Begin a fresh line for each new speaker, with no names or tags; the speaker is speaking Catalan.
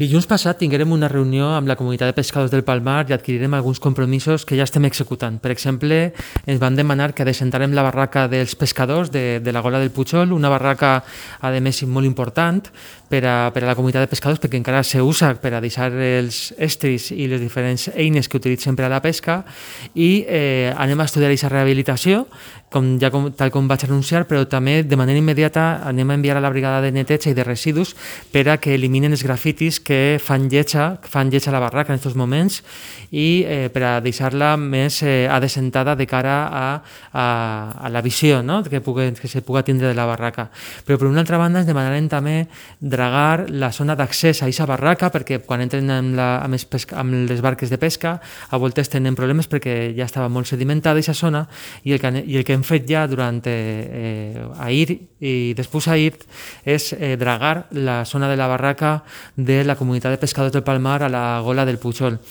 Dilluns passat tinguérem una reunió amb la comunitat de pescadors del Palmar i adquirirem alguns compromisos que ja estem executant. Per exemple, ens van demanar que adecentarem la barraca dels pescadors de la Gola del Pujol, una barraca, a més, molt important per a la comunitat de pescadors perquè encara s'usa per a deixar els estris i les diferents eines que utilitzen per a la pesca i anem a estudiar aquesta rehabilitació, tal com vaig anunciar, però també de manera immediata anem a enviar a la brigada de neteja i de residus per a que eliminen els grafitis que fan lletja la barraca en aquests moments i per a deixar-la més adecentada de cara a la visió, no? que se pugui tindre de la barraca. Però per una altra banda ens demanarem també dragar la zona d'accés a aquesta barraca perquè quan entren amb les barques de pesca a voltes tenen problemes perquè ja estava molt sedimentada aquesta zona i el que hem fet ja durant ahir i després ahir és dragar la zona de la barraca de la comunitat de pescadors del Palmar a la Gola del Pujol.